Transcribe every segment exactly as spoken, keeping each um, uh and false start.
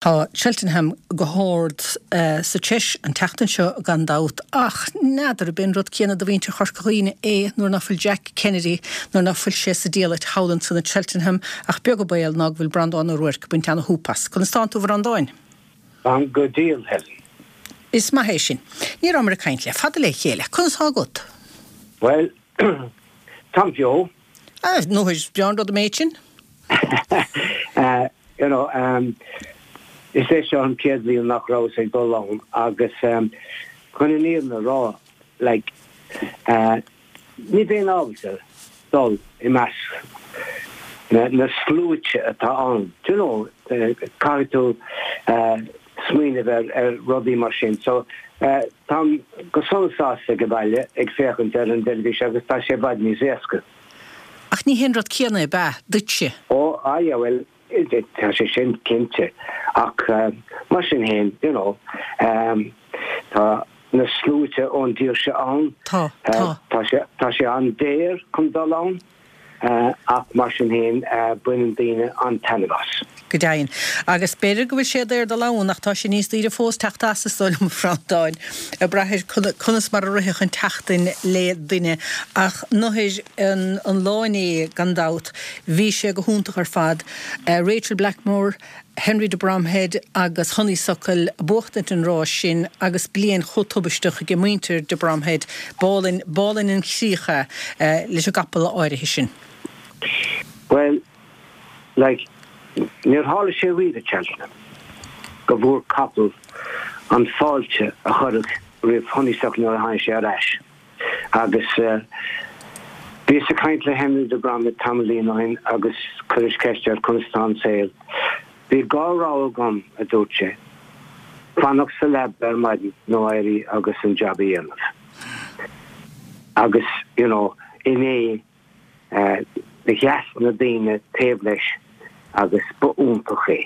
Tá Cheltenham go hard sa tseis an tseachtain seo gan dabht ach n'fheadar ab é an rud céanna do mhuintir Chorca Dhuibhne é nuair ná fuil Jack Kennedy nuair ná fuil sé sa diallait thall ansan i Cheltenham ach beag an baol ná go bhfuil Breandán Ó Ruairc ag baint ana-shúp as. Conas tánn tú a Bhreandáin? Táim go diail, Helen. Is maith é sin. Ní rabhamar ag caint le fada le chéile. Conas tá agat? Bhuel, táim beo. Ah, nó is breá an rud an méid sin. You know, um, is é seo an chéad bhliain nach rabhas ag dul ann agus um, chun an fhírinne a rá like, uh, ní bheinn ábalta dul i measc na, na sluaite atá ann. You know, uh, caithfidh tú uh, smaoineamh ar, ar rudaí mar sin. So uh, táim go sona sásta ag baile ag féachaint ar an teilifís agus tá sé i bhfad níos éasca. Ach ní hé an rud céanna ab ea duitse. Ó ah, yeah, well, tá sé sin cinnte ach uh, mar sin féin you know, um, tá na sluaite ón dtír seo ann Tá tá. Tá sé tá sé an-daor chun dul ann uh, ach mar sin féin uh, baineann daoine an-taitneamh as. Go deimhin. Agus b'fhéidir go bhfuil sé daor dul ann ach tá sé níos daoire fós teacht as is dóigh liom a Bhreandáin. Ag brath conas mar a rithfeadh an tseachtain le duine ach nuair an, an lá inné gan dabht bhí sé go hiontach ar fad. Uh, Rachel Blackmore, Henry de Bromhead agus Honeysuckle buachtaint an rás sin agus bliain chomh tubaisteach ag muintir de Bromhead b'álainn b'álainn an chríoch uh, leis an gcapall áirithe sin. Well, like, níor tharla sé riamh i Cheltenham go bhfuair capall an fáilte a chuireadh roimh Honeysuckle nuair a tháinig sé ar ais. Agus uh, bhíos ag caint le Henry de Bromhead tamaillín ó shin agus chuireas ceist air conas tá an saol. Bhí dhá rogha agam a dúirt sé. Fanacht sa leaba ar maidin nó éirí agus an jab a dhéanamh. Agus you know, inné uh, sheas na daoine taobh leis agus ba iontach é.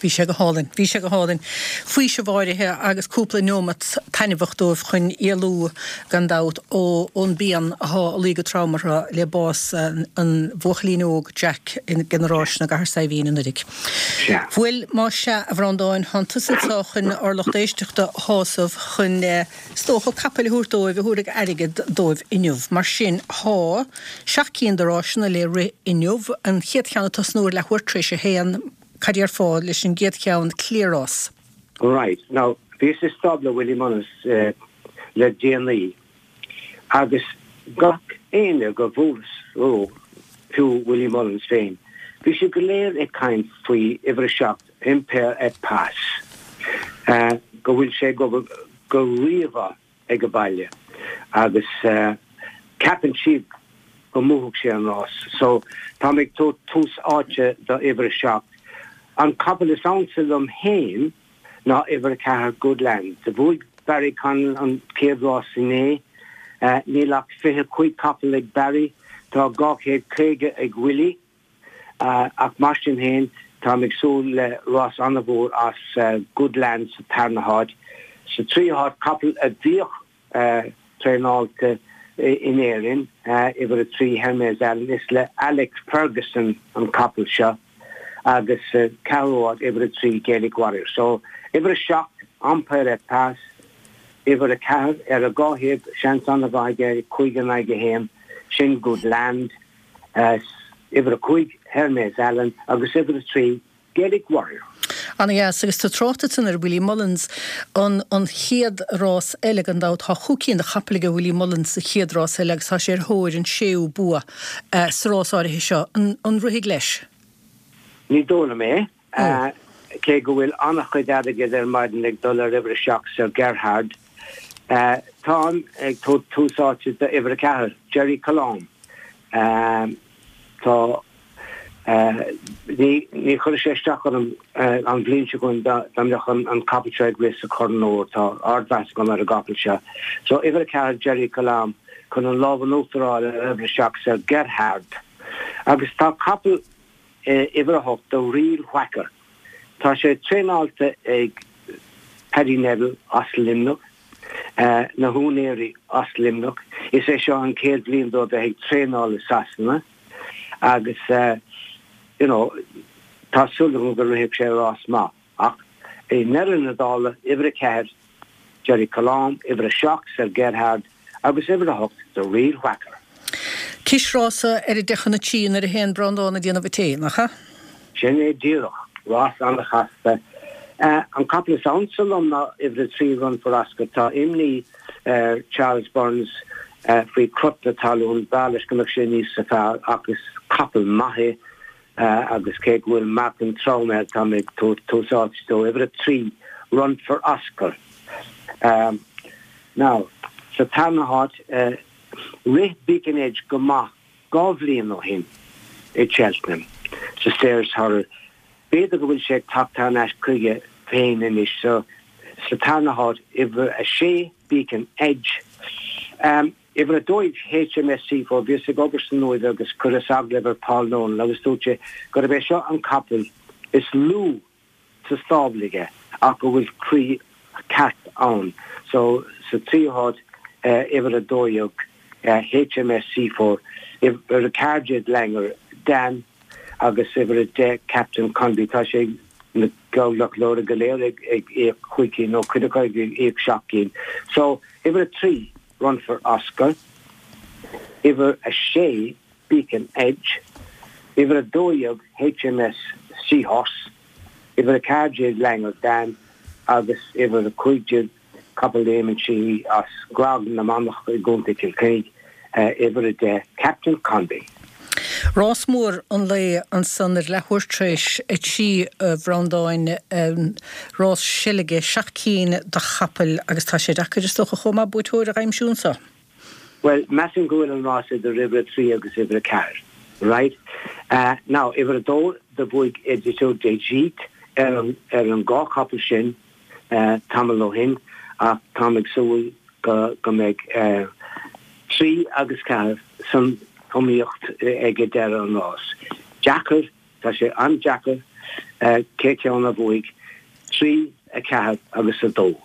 Bhí sé go hálainn, bhí sé go hálainn. Faoiseamh áirithe agus cúpla nóiméad taitneamhach dóibh chun éalú gan dabht ó ón bpian atá ag luí go trom orthu le bás an, an bhuachaillín óg Jack in generáis na gCathair Saidhbhín anuraidh. Bhuel má sea a Bhreandáin tá tusa anseo chun ár lucht éisteachta a shásamh chun is dócha capaill a thabhairt dóibh a thabharfaidh airgead dóibh inniu. Mar sin tá seacht gcinn de rásanna le rith inniu an chéad cheann ag tosnú ar leathuair tar éis a haon cad é ar fáil leis an gcéad cheann Cliarás. Right. Now, bhíos i stábla Willie Mullins uh, le déanaí agus gach éinne go bhfuas ó fiú Willie Mullins féin. Bhí sé go léir ag caint faoi uimhir a seacht Impaire Et Passe. Uh, go bhfuil sé go go rímhaith ag an baile agus uh, ceapann siad go mbuafaidh sé an rás. So tá ag tús áite do uimhir a seacht. An capall is ansa liom féin ná uimhir a ceathair Goodland. De bhuaigh Barry Connell an chéad rás inné, uh, níl ach fiche cúig capall ag Barry, tá dhá chéad caoga ag Willie, uh, ach mar sin féin tá ag súil le rás an-mhór as uh, Goodland sa tarna háit. Sa tríú háit capall a bhíodh uh, traenáilte in Éirinn uh, uimhir a trí Hermes Allen is le Alex Ferguson an capall seo agus uh, ceathrú háit uimhir a trí Gaelic Warrior. So uimhir a seacht Impaire Et Passe, uimhir a ceathair ar a dhá thaobh seans an-mhaith cúig in aghaidh a haon sin Goodland, uh, uimhir a cúig Hermes Allen agus uimhir a trí Gaelic Warrior. Ana-dheas agus tá trácht san ar Willie Mullins an an chéad rás eile gan dabht tá chúig cinn de chapaill ag Willie Mullins sa chéad rás eile agus tá sé ar thóir an séú bua uh, sa rás áirithe seo an, an rithfidh leis. Ní dóigh liom é uh, cé go bhfuil an-chuid airgid ar maidin ag dul ar uimhir a seacht Sir Gerhard. Uh, Táim ag tús áite do uimhir a ceathair, Gerri Colombe. Um, tá uh, ní ní chuir sé isteach an uh, an bhliain seo chugainn dá mbeadh an, an capall seo ag rith sa Chorn Óir tá ardmheas agam ar an gcapall seo. So uimhir a ceathair Gerri Colombe chun an lámh in uachtar a fháil ar uimhir a seacht Sir Gerhard. Agus tá capall uh, uimhir a hocht The Real Whacker. Tá sé traenáilte ag Paddy Neville as Luimneach, uh, na húinéirí as Luimneach. Is é seo an chéad bhliain dó bheith ag traenáil i Sasana agus uh, you know, tá súil go rithfidh sé rás maith. Ach i ndeireadh na dála, uimhir a ceathair, Gerri Colombe, uimhir a seacht, Sir Gerhard agus uimhir a hocht, The Real Whacker. Cisrása ar a deich chun a trí nuair a théann Breandán ag déanamh an tae, nach ea? Sin é díreach. Rás an-chasta. An capall is ansa liom ná uimhir a trí, Run For Oscar. Tá imní ar Charles Byrnes faoi crot na talún. B'fhearr leis go mbeadh sé níos fearr ach is capall maith é agus cé go bhfuil meáchan trom air, tá mé ag tabhairt tús áite dó. Uimhir a trí, Run For Oscar. Now, sa tarna háit, rith Beacon Edge go maith dhá bhliain ó shin i Cheltenham sa Stayers Hurdle. B'fhéidir go bhfuil sé ag teacht thar n-ais chuige féin anois. So, sa tarna háit, uimhir a sé, Beacon Edge. Uimhir a dó dhéag, HMS Seaforth, bhíos ag obair san Uaimh agus chuireas agallamh ar Paul Nolan agus dúirt sé gurb é seo an capall is lú sa stábla aige ach go bhfuil croí ceart ann. So, sa tríú háit, uimhir a dó dhéag, HMS Seaforth, uimhir a ceathair déag, Langer Dan agus uimhir a deich, Captain Conby. Tá sé na geallghlacadóirí go léir ag íoc cúig cinn nó cuid acu ag íoc seacht gcinn. So, uimhir a trí, Run for Oscar, uimhir a sé, Beacon Edge, uimhir a dó dhéag, HMS Seahorse, uimhir a ceathair déag, Langer Dan agus uimhir a cúig déag, capall Éamonn Sheehy as Grág na Manach i gContae Chill Chainnigh, uimhir a deich, Captain Conby. Rás mór an lae ansan ar leathuair tar éis a trí, a Bhreandáin, rás seilge, seacht cinn de chapaill agus tá sé deacair is dócha chomh maith buaiteoir a aimsiú anso. Bhuel, measaim go bhfuil an rás idir uimhir a trí agus uimhir a ceathair. Right? Now, uimhir a dó, do bhuaigh Édito d'Egypte ar an ar an dhá chapall sin tamall ó shin ach táim ag súil go go mbeidh trí agus ceathair san iomaíocht ag deireadh an rás. Deacair, tá sé an-deacair cé ceann a bhuaigh, trí, a ceathair agus a dó.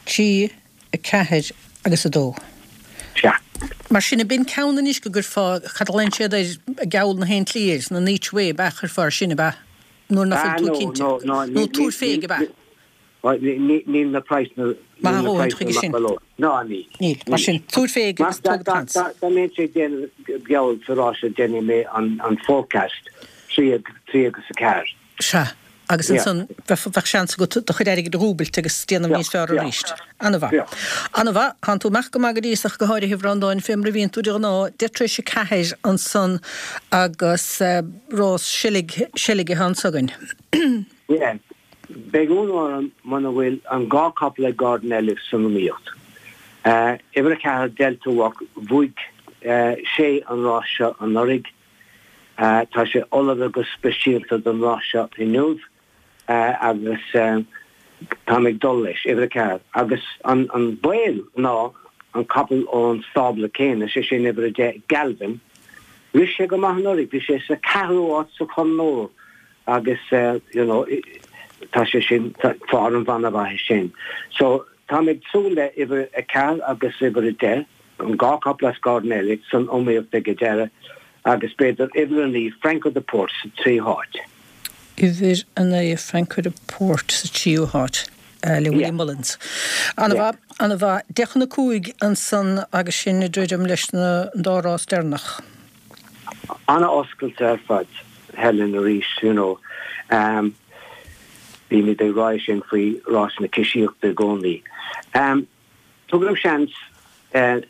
Trí, a ceathair agus a dó. Sea. Mar sin, ab in ceann anois go gcuirfeá, cad a ghlaonn siad air, geall na haon tslí air, nó an each way, ab ea, chuirfeá air sin, ab ea? Nuair nach bhfuil tú cinnte. Nó tabhair féig, ab ea? Níl na praghsanna Maith a dhóthain chuige sin. Ná níl. Níl. Mar sin, tabhair féig agus tóg do sheans. Dá mbeinnse ag déanamh geall sa rás seo déanfaidh mé an forecast trí agus a ceathair. Sea. Agus ansan bheadh seans agat do chuid airgid a dhúbailt agus déanamh níos fearr arís. Ana-mhaith. Ana-mhaith. Tánn tú amach go maith go dtí so ach go háirithe, a Bhreandáin, fé mar a bhíonn tú de ghnáth, deich tar éis a ceathair ansan agus rás seilg, seilge atá anso againn. Yeah. Beidh ionadh orm muna bhfuil an dhá capall ag Gordon Elliott san iomaíocht. Uimhir a ceathair, Delta Work, bhuaigh sé an rás seo anuraidh. Tá sé ullamh go speisialta don rás seo inniu agus táim ag dul leis. Uimhir a ceathair. Agus an baol ná an capall ón stábla céanna, sé sin uimhir a deich, Galvin, rith sé go maith anuraidh, bhí sé sa ceathrú áit sa Chorn Óir agus you know tá sé sin, foirm an-mhaith é sin. So táim ag súil le uimhir a ceathair agus uimhir a deich, an dhá capall as Gordon Elliott san iomaíocht ag an deireadh agus b'fhéidir uimhir a naoi, Franco de Port sa tríú háit. Uimhir a naoi, Franco de Port sa tríú háit le Willie Mullins. Ana-mhaith, ana-mhaith. Deich chun a cúig ansan agus sinn ag druidim leis na dá rás deireanach. Ana-oscailte ar fad, Helen, arís, you know. Bímid ag rá sin faoi rás na cisíochta i gcónaí. Tugaim seans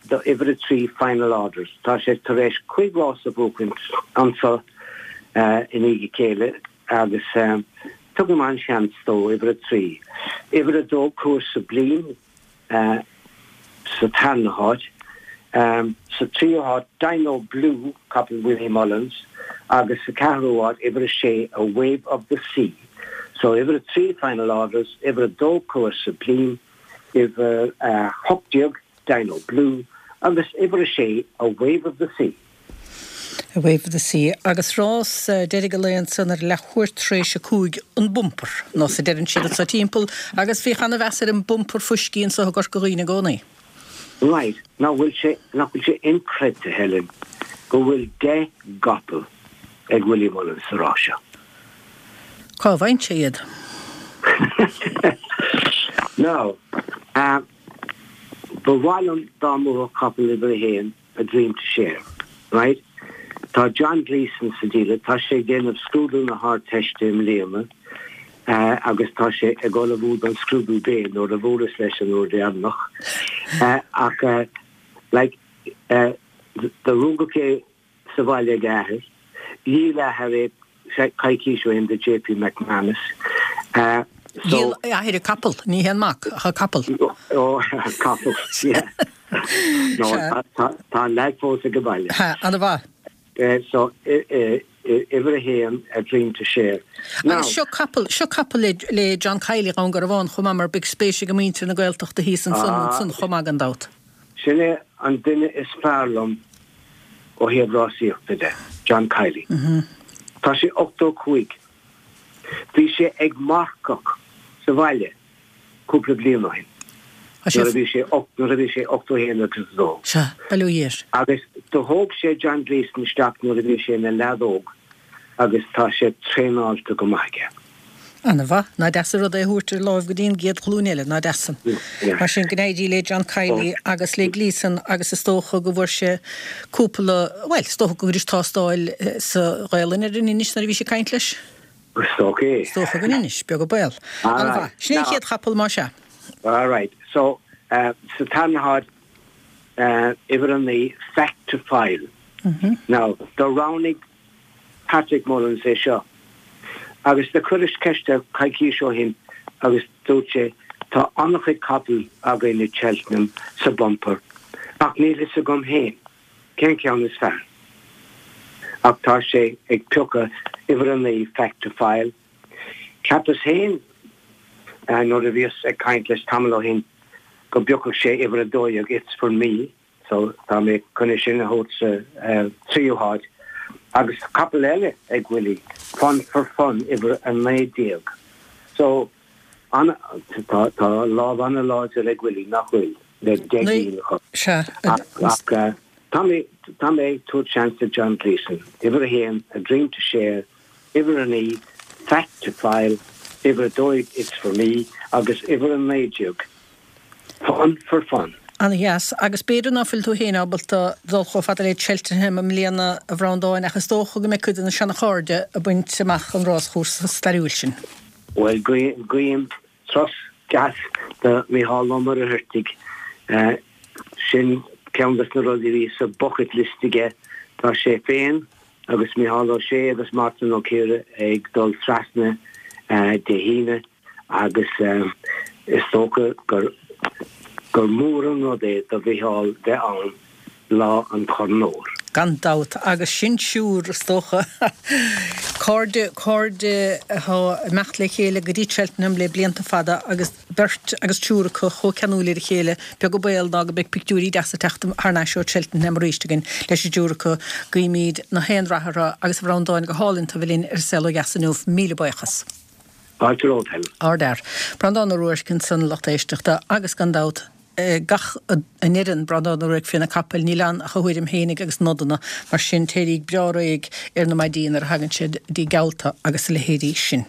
do uimhir a trí, Final Orders. Tá sé tar éis cúig rás a bhuachaint anso i ndiaidh a chéile agus tugaim an-seans dó, uimhir a trí. Uimhir a dó, Coeur Sublime. sa tarna háit. Sa tríú háit, Dino Blue, capall Willie Mullins, agus sa ceathrú háit, uimhir a sé, A Wave of the Sea. So, uimhir a trí, Final Orders, uimhir a dó, Coeur Sublime, uimhir a hocht déag, Dino Blue, agus uimhir a sé, A Wave of the Sea. A Wave of the Sea. Agus rás deiridh an lae ansan ar leathuair tar éis a cúig, an bumper, nós a deireann siad anso timpeall, agus bhíodh ana-mheas ar an bumper fuiscí anso i gCorca Dhuibhne i gcónaí. Right, nach bhfuil sé, nach bhfuil sé inchreidte, Helen, go bhfuil deich gcapall ag Willie Mullins sa rás seo? Cá bhfaigheann sé iad? Now, uh, ba mhaith liom dá mbuafadh capall uimhir a haon A Dream to Share, right? Tá John Gleeson sa díle, tá sé ag déanamh scrúdú na hArdteiste i mbliana, uh, agus tá sé ag ullmhú don scrúdú béil nuair a bhuaileas leis an uair dheireanach. Uh, ach uh, like, uh, do rugadh é sa bhaile ag a athair, dhíol a athair é coicís ó shin do JP McManus. Uh, so a athair an capall, ní hé an mac, ach an capall. Oh, capall, yeah. No, tá an leaid fós ag baile. Ha, an-mhaith. Uh, so uimhir a haon A Dream to Share. Agus seo capall seo capall le, le John Kiely Dhún Garbhán chomh maith mar beidh spéis ag muintir na Gaeltachta thíos ansan ansan chomh maith gan dabht. Sin é an duine is fearr liom ó thaobh rásaíochta de, John Kiely. Mm -hmm. Tá sé ochtó cúig. Bhí sé ag marcach sa bhaile cúpla bliain ó shin. Nuair a bhí sé nuair a bhí sé ochtó haon agus dó. Sea, bail ó Dhia air. Agus do thóg sé John Gleeson isteach nuair a bhí sé ina leaid óg agus tá sé traenáilte go maith aige. An-mhaith, nach deas an rud é a thabhairt ar láimh go dtí an gcéad ghlúin eile, nach deas san. Mar sin, go n-éirí le John Kiely agus le Gleeson agus is dócha go bhfuair sé cúpla, bhuel, is dócha go bhfuair tástáil sa Ghaelainn ar an Inis nuair a bhí sé ag caint leis? Is dócha é. Is dócha go n-inis, beag an baol. An-mhaith. Sin é an chéad chapall, más ea. All right. So, uh, sa tarna háit, uh, uimhir a naoi, Fact to File. Mm -hmm. Now, do roghnaigh Patrick Mullins é seo. Agus do chuireas ceist air coicís ó shin agus dúirt sé, tá an-chuid capall againn i Cheltenham sa bumper, ach níl fhios agam féin cén ceann is fearr. Ach tá sé ag piocadh uimhir a naoi Fact to File. Cheapas féin nuair a bhíos ag caint leis tamall ó shin go bpiocfadh sé uimhir a dó dhéag It's For Me, so tá mé chun é sin a thabhairt sa tríú háit. Agus capall eile ag Willie, Fun for Fun uimhir a naoi déag. So an tá tá lámh an-láidir ag Willie nach bhfuil le deich mhíle a chur. Sea. Ach tá mé tá mé ag tabhairt seans do John Gleeson, uimhir a haon, A Dream to Share, uimhir a naoi, Fact to File, uimhir a dó dhéag It's For Me agus uimhir a naoi déag, Fun for Fun. An-dheas. Agus b'fhéidir ná fuil tú féin ábalta dul chomh fada le Cheltenham i mbliana, a Bhreandáin, ach is dócha go mbeidh cuid de na seana-chairde ag baint amach an ráschúrsa stairiúil sin. Bhuel, guím turas deas do Mhícheál Ó Muircheartaigh. Sin ceann des na rudaí a bhí sa bucket list aige. Tá sé féin agus Mícheál Ó Sé agus Martin Ó Ciardha ag dul trasna Dé hAoine agus is dócha gur gur mór an rud é do Mhícheál bheith ann lá an Chorn Óir. Gan dabht, agus sin siúr, is dócha. Cairde, cairde atá ag imeacht le chéile go dtí Cheltenham le blianta fada agus beirt agus triúr acu chomh ceanúil ar a chéile, beag an baol ná go mbeidh pictiúirí deasa ag teacht thar n-ais ó Cheltenham arís againn leis an dtriúr acu. Guímid na haon rath orthu agus a Bhreandáin go hálainn tú a bheith linn ar An Saol Ó Dheas inniu. Míle buíochas. Fáilte romhat, Helen. Ardfhear. Breandán Ó Ruairc ansan, a lucht éisteachta, agus gan dabht, gach a ndeireann Breandán Ó Ruairc faoi na capaill, níl ann ach a thuairim fhéinig agus nodanna, mar sin téiríg breá réidh ar na maidí nuair a thagann siad dtí geallta agus a leithéidí sin.